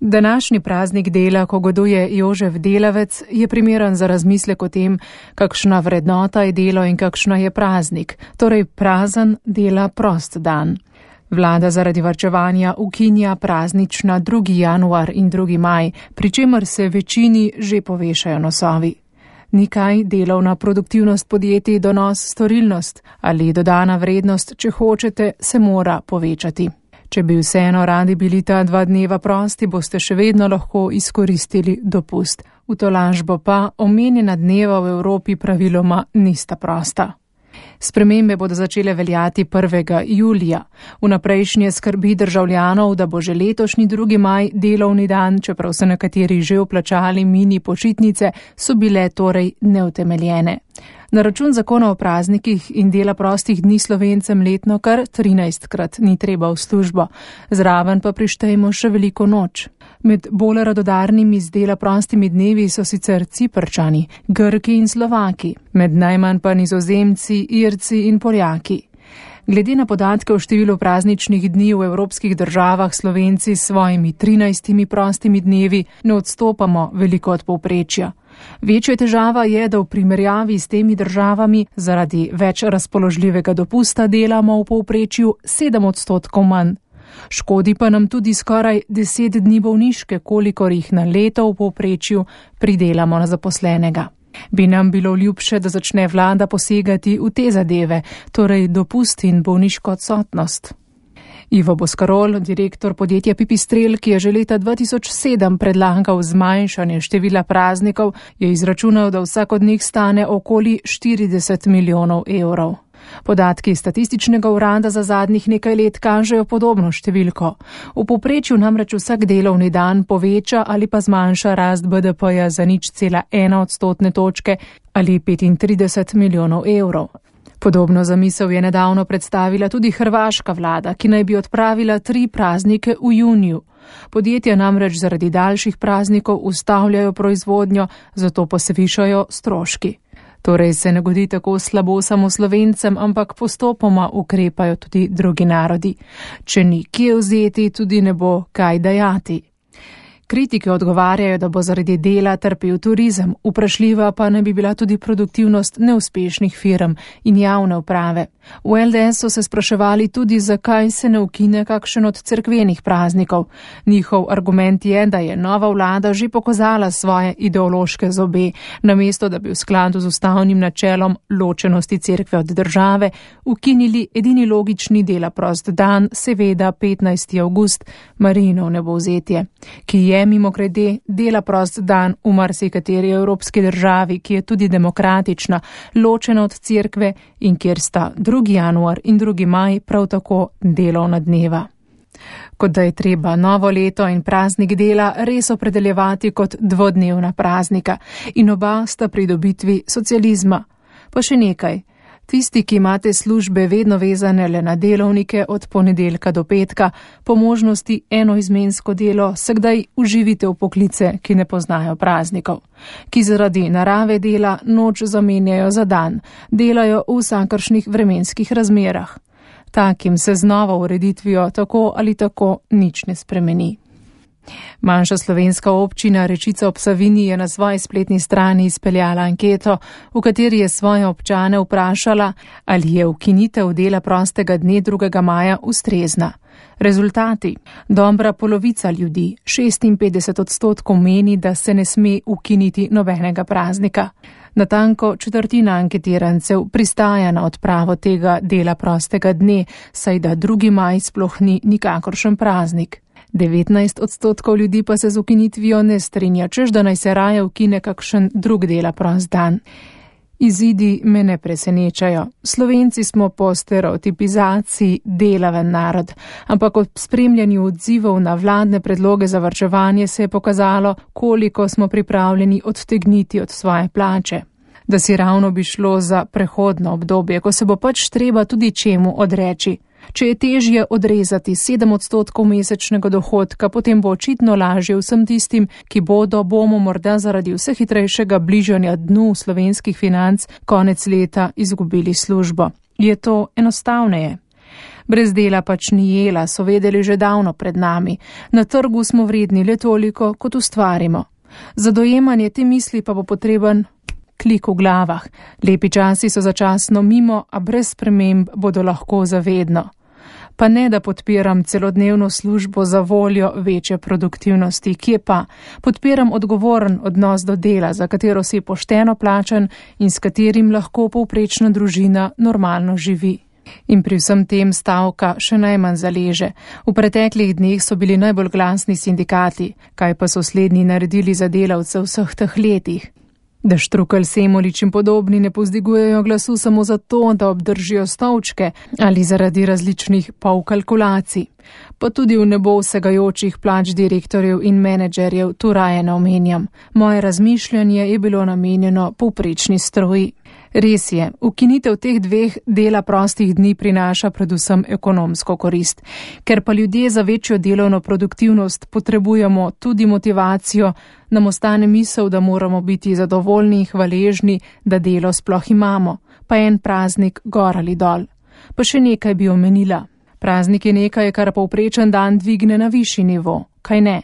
Današnji praznik dela, ko goduje Jožef Delavec, je primeren za razmislek o tem, kakšna vrednota je delo in kakšna je praznik, torej prazen dela prost dan. Vlada zaradi varčevanja ukinja praznična 2. januar in 2. maj, pri čemer se večini že povešajo nosovi. Nikaj delovna produktivnost podjetij, donos, storilnost ali dodana vrednost, če hočete, se mora povečati. Če bi vseeno radi bili ta 2 dneva prosti, boste še vedno lahko izkoristili dopust. V tolažbo pa omenjena dneva v Evropi praviloma nista prosta. Spremembe bodo začele veljati 1. julija. Vnaprejšnje skrbi državljanov, da bo že letošnji 2. maj delovni dan, čeprav so nekateri že vplačali mini počitnice, so bile torej neutemeljene. Na račun zakona o praznikih in dela prostih dni Slovencem letno kar 13krat ni treba v službo, zraven pa prištejmo še veliko noč. Med bolj radodarnimi z dela prostimi dnevi so sicer Ciprčani, Grki in Slovaki, med najmanj pa Nizozemci, Irci in Poljaki. Glede na podatke o številu prazničnih dni v evropskih državah Slovenci s svojimi 13 prostimi dnevi ne odstopamo veliko od povprečja. Večja težava je, da v primerjavi s temi državami zaradi več razpoložljivega dopusta delamo v povprečju 7% manj. Škodi pa nam tudi skoraj 10 dni bolniške, kolikor jih na leto v povprečju pridelamo na zaposlenega. Bi nam bilo ljubše, da začne vlada posegati v te zadeve, torej dopust in bolniško odsotnost. Ivo Boskarol, direktor podjetja Pipistrel, ki je že leta 2007 predlagal zmanjšanje števila praznikov, je izračunal, da vsak od njih stane okoli 40 milijonov evrov. Podatki statističnega urada za zadnjih nekaj let kažejo podobno številko. V povprečju namreč vsak delovni dan poveča ali pa zmanjša rast BDP-ja za 0,1 odstotne točke ali 35 milijonov evrov. Podobno zamisel je nedavno predstavila tudi hrvaška vlada, ki naj bi odpravila 3 praznike v juniju. Podjetja namreč zaradi daljših praznikov ustavljajo proizvodnjo, zato pa se višajo stroški. Torej se ne godi tako slabo samo Slovencem, ampak postopoma ukrepajo tudi drugi narodi. Če ni kje vzeti, tudi ne bo kaj dajati. Kritike odgovarjajo, da bo zaradi dela trpel turizem, vprašljiva pa ne bi bila tudi produktivnost neuspešnih firm in javne uprave. V LDS so se spraševali tudi, zakaj se ne ukine kakšen od cerkvenih praznikov. Njihov argument je, da je nova vlada že pokazala svoje ideološke zobe, namesto da bi v skladu z ustavnim načelom ločenosti cerkve od države ukinili edini logični dela prost dan, seveda 15. avgust, Marijino vnebovzetje, ki je mimogrede dela prost dan v marsikateri evropski državi, ki je tudi demokratična, ločena od cerkve in kjer sta 2. januar in 2. maj prav tako delovna dneva. Kot da je treba novo leto in praznik dela res opredeljevati kot dvodnevna praznika in oba sta pridobitvi socializma. Pa še nekaj. Tisti, ki imate službe vedno vezane le na delovnike od ponedeljka do petka, po možnosti enoizmensko delo, se kdaj uživite v poklice, ki ne poznajo praznikov, ki zaradi narave dela noč zamenjajo za dan, delajo v vsakršnih vremenskih razmerah. Takim se z novo ureditvijo tako ali tako nič ne spremeni. Manjša slovenska občina Rečica ob Savinji je na svoji spletni strani izpeljala anketo, v kateri je svoje občane vprašala, ali je ukinitev dela prostega dne 2. maja ustrezna. Rezultati. Dobra polovica ljudi, 56%, meni, da se ne sme ukiniti nobenega praznika. Natanko četrtina anketirancev pristaja na odpravo tega dela prostega dne, saj da 2. maj sploh ni nikakršen praznik. 19% ljudi pa se z ukinitvijo ne strinja, češ da naj se raje ukine kakšen drug dela prost dan. Izidi me ne presenečajo. Slovenci smo po stereotipizaciji delaven narod, ampak ob spremljanju odzivov na vladne predloge za varčevanje se je pokazalo, koliko smo pripravljeni odtegniti od svoje plače. Da si ravno bi šlo za prehodno obdobje, ko se bo pač treba tudi čemu odreči. Če je težje odrezati 7% mesečnega dohodka, potem bo očitno lažje vsem tistim, ki bomo morda zaradi vse hitrejšega bližanja dnu slovenskih financ konec leta izgubili službo. Je to enostavneje? Brez dela pač ni jela, so vedeli že davno pred nami. Na trgu smo vredni le toliko, kot ustvarimo. Za dojemanje te misli pa bo potreben klik v glavah. Lepi časi so začasno mimo, a brez sprememb bodo lahko zavedno. Pa ne, da podpiram celodnevno službo za voljo večje produktivnosti, kje pa podpiram odgovoren odnos do dela, za katero si pošteno plačan in s katerim lahko povprečna družina normalno živi. In pri vsem tem stavka še najmanj zaleže. V preteklih dneh so bili najbolj glasni sindikati, kaj pa so slednji naredili za delavce vseh teh letih. Da Štrukelj, Semolič in podobni ne povzdigujejo glasu samo zato, da obdržijo stolčke ali zaradi različnih polkalkulacij. Pa tudi v nebo vsegajočih plač direktorjev in menedžerjev tu raje ne omenjam. Moje razmišljanje je bilo namenjeno povprečni stroji. Res je, ukinitev teh 2 dela prostih dni prinaša predvsem ekonomsko korist. Ker pa ljudje za večjo delovno produktivnost potrebujemo tudi motivacijo, nam ostane misel, da moramo biti zadovoljni in hvaležni, da delo sploh imamo, pa en praznik gor ali dol. Pa še nekaj bi omenila. Praznik je nekaj, kar povprečen dan dvigne na višji nivo, kaj ne?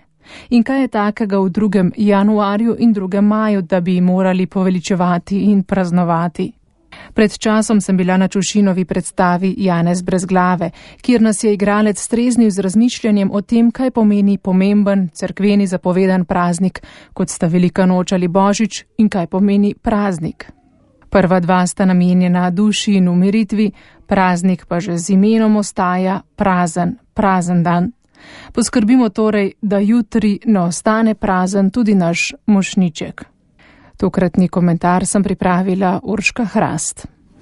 In kaj je takega v 2. januarju in 2. maju, da bi morali poveličevati in praznovati? Pred časom sem bila na Čušinovi predstavi Janez brez glave, kjer nas je igralec streznil z razmišljanjem o tem, kaj pomeni pomemben, cerkveni zapovedan praznik, kot sta Velika noč ali Božič, in kaj pomeni praznik. Prva 2 sta namenjena duši in umiritvi, praznik pa že z imenom ostaja prazen dan. Poskrbimo torej, da jutri ne ostane prazen tudi naš mošnjiček. Tokratni komentar sem pripravila Urška Hrast.